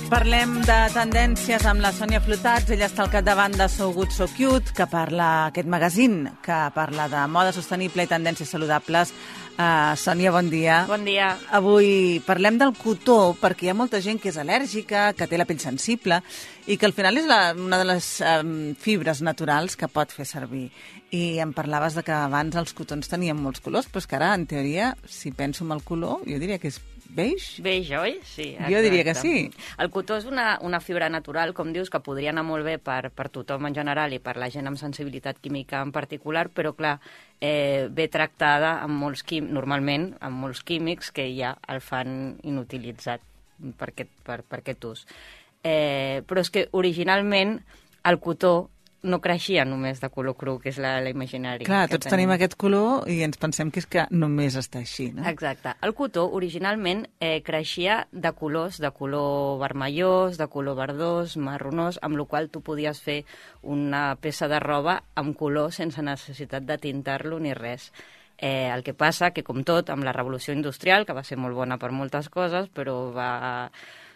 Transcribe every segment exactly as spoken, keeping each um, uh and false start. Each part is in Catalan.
Parlem de tendències amb la Sònia Flotats. Ella està al capdavant de So Good So Cute, que parla aquest magazín, que parla de moda sostenible i tendències saludables. Uh, Sònia, bon dia. Bon dia. Avui parlem del cotó, perquè hi ha molta gent que és al·lèrgica, que té la pell sensible, i que al final és la, una de les um, fibres naturals que pot fer servir. I em parlaves de que abans els cotons tenien molts colors, però és que ara, en teoria, si penso en el color, jo diria que és beige? Beige, oi? Sí, exacte. Jo diria que sí. El cotó és una, una fibra natural, com dius, que podria anar molt bé per, per tothom en general i per la gent amb sensibilitat química en particular, però, clar, eh, ve tractada amb molts quim, normalment amb molts químics que ja el fan inutilitzat per aquest, per, per aquest ús. Eh, però és que originalment el cotó no creixia només de color cru, que és la, la imaginari. Clar, tots tenim. tenim aquest color i ens pensem que és que només està així, no? Exacte. El cotó originalment eh, creixia de colors, de color vermellós, de color verdós, marronós, amb la qual tu podies fer una peça de roba amb color sense necessitat de tintar-lo ni res. Eh, el que passa que, com tot, amb la revolució industrial, que va ser molt bona per moltes coses, però va,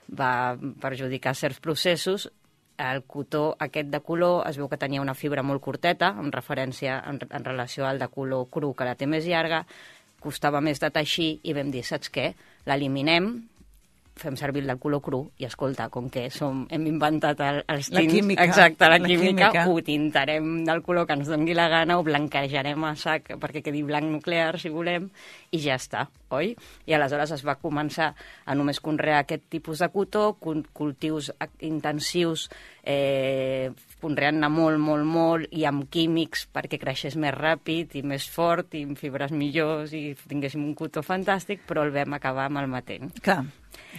va perjudicar certs processos, el cotó aquest de color es veu que tenia una fibra molt curteta, en referència en, en relació al de color cru, que la té més llarga, costava més de teixir i vam dir, saps què? L'eliminem, fem servir el de color cru i, escolta, com que som, hem inventat el, els tints... La química. Exacte, la, la química, química, ho tintarem del color que ens doni la gana, ho blanquejarem a sac perquè quedi blanc nuclear, si volem, i ja està, oi? I aleshores es va començar a només conrear aquest tipus de cotó, cultius intensius, eh, conreant-ne molt, molt, molt, i amb químics perquè creixés més ràpid i més fort, i amb fibres millors, i tinguéssim un cotó fantàstic, però el vam acabar malmetent. Clar,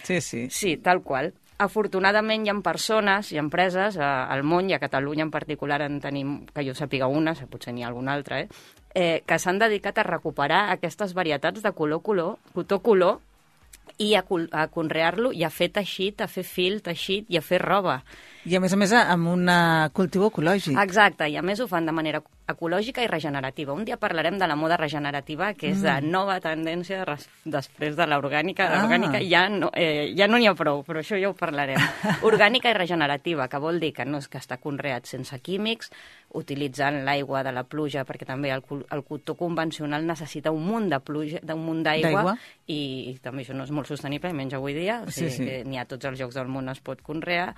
sí, sí. Sí, tal qual. Afortunadament hi ha persones i empreses eh, al món, i a Catalunya en particular en tenim, que jo sàpiga una, potser n'hi ha alguna altra, eh, eh, que s'han dedicat a recuperar aquestes varietats de color-color, cotó-color, i a, a conrear-lo i a fer teixit, a fer fil, teixit i a fer roba. I a més a més amb un cultiu ecològic. Exacte, i a més ho fan de manera ecològica i regenerativa. Un dia parlarem de la moda regenerativa, que és mm. de nova tendència res, després de l'orgànica. Ah. L'orgànica ja no eh, ja no n'hi ha prou, però això ja ho parlarem. Orgànica i regenerativa, que vol dir que no és que està conreat sense químics, utilitzant l'aigua de la pluja, perquè també el, el cotó convencional necessita un munt de pluja, d'un munt d'aigua, i, i també això no és molt sostenible, menys avui dia, o sigui, sí, sí. que n'hi ha tots els llocs del món es pot conrear,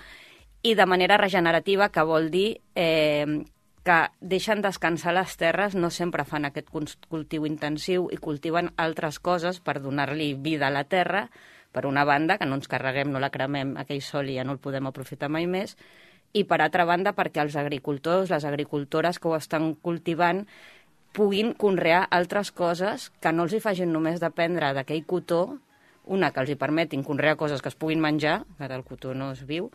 i de manera regenerativa, que vol dir eh, que deixen descansar les terres, no sempre fan aquest cultiu intensiu i cultiven altres coses per donar-li vida a la terra, per una banda, que no ens carreguem, no la cremem, aquell sol i ja no el podem aprofitar mai més, i per altra banda perquè els agricultors, les agricultores que ho estan cultivant, puguin conrear altres coses que no els hi facin només dependre d'aquell cotó, una, que els hi permetin conrear coses que es puguin menjar, que el cotó no es viu,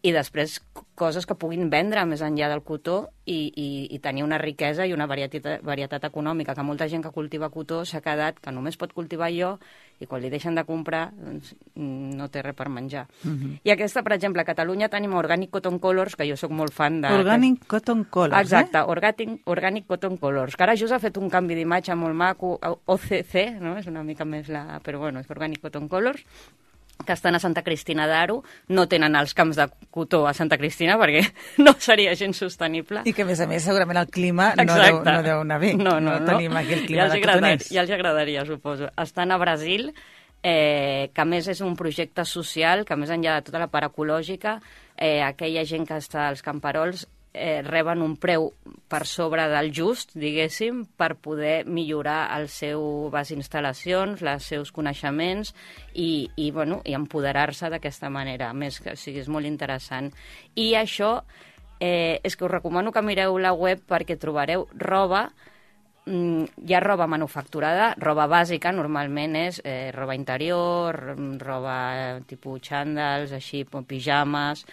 i després coses que puguin vendre més enllà del cotó i, i, i tenir una riquesa i una varietat, varietat econòmica, que molta gent que cultiva cotó s'ha quedat que només pot cultivar jo i quan li deixen de comprar doncs, no té res per menjar. Uh-huh. I aquesta, per exemple, a Catalunya tenim Organic Cotton Colors, que jo sóc molt fan de... Organic que... Cotton Colors, Exacte, eh? Organic, Organic Cotton Colors, que ara just ha fet un canvi d'imatge molt maco, O C C, no? És una mica més la... però bueno, és Organic Cotton Colors, que estan a Santa Cristina d'Aro, no tenen els camps de cotó a Santa Cristina perquè no seria gens sostenible. I que, a més a més, segurament el clima no deu, no deu anar bé. No, no, no, no. tenim aquí el clima ja de cotoners. Ja els agradaria, suposo. Estan a Brasil, eh, que a més és un projecte social, que més enllà de tota la part ecològica, eh, aquella gent que està als camperols eh, reben un preu per sobre del just, diguéssim, per poder millorar les seves instal·lacions, els seus coneixements i, i, bueno, i empoderar-se d'aquesta manera. A més, que o sigui, és molt interessant. I això eh, és que us recomano que mireu la web perquè trobareu roba. Hi ha roba manufacturada, roba bàsica, normalment és eh, roba interior, roba eh, tipus xandals, així, pijames,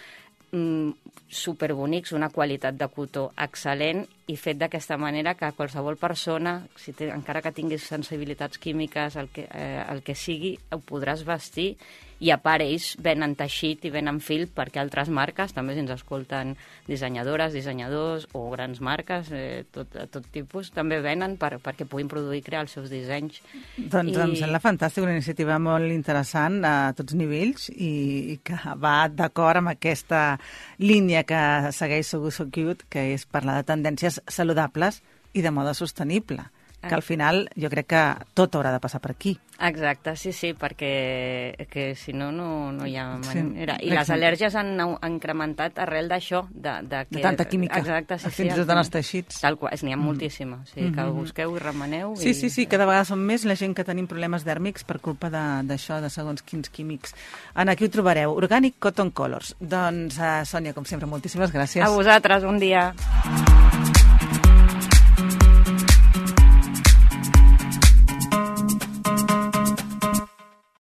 mm, superbonics, una qualitat de cotó excel·lent i fet d'aquesta manera que qualsevol persona, si té, encara que tinguis sensibilitats químiques, el que, eh, el que sigui, ho podràs vestir i a part ells venen teixit i venen fil perquè altres marques, també si ens escolten dissenyadores, dissenyadors o grans marques, eh, tot, tot tipus, també venen per, perquè puguin produir i crear els seus dissenys. Doncs I... em sembla fantàstic, una iniciativa molt interessant a tots nivells i, i que va d'acord amb aquesta línia que segueix So Good So Cute, que és parlar de tendències saludables i de moda sostenible, que al final jo crec que tot haurà de passar per aquí. Exacte, sí, sí, perquè que si no, no, no hi ha manera. Sí, I les al·lèrgies han, han incrementat arrel d'això. De, de, que, de tanta química, exacte, sí, fins i tot en els teixits. Tal qual, n'hi ha mm. moltíssima, o sigui, que mm -hmm. busqueu i remeneu. Sí, i... sí, sí, cada vegada som més la gent que tenim problemes dèrmics per culpa d'això, de, de segons quins químics. En aquí ho trobareu, Organic Cotton Colors. Doncs, uh, Sònia, com sempre, moltíssimes gràcies. A vosaltres, un dia.